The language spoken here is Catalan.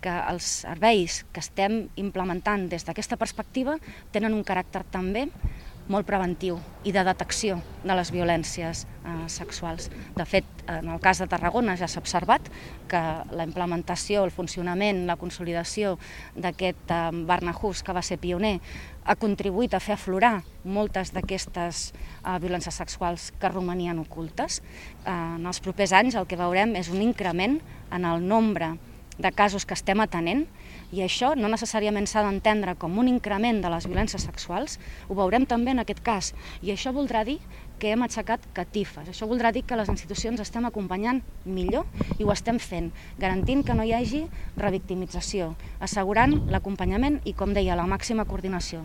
que els serveis que estem implementant des d'aquesta perspectiva tenen un caràcter també molt preventiu i de detecció de les violències sexuals. De fet, en el cas de Tarragona ja s'ha observat que la implementació, el funcionament, la consolidació d'aquest Barnahus, que va ser pioner, ha contribuït a fer aflorar moltes d'aquestes violències sexuals que romanien ocultes. En els propers anys el que veurem és un increment en el nombre de casos que estem atenent, i això no necessàriament s'ha d'entendre com un increment de les violències sexuals, ho veurem també en aquest cas, i això voldrà dir que hem aixecat catifes, això voldrà dir que les institucions estem acompanyant millor i ho estem fent, garantint que no hi hagi revictimització, assegurant l'acompanyament i, com deia, la màxima coordinació.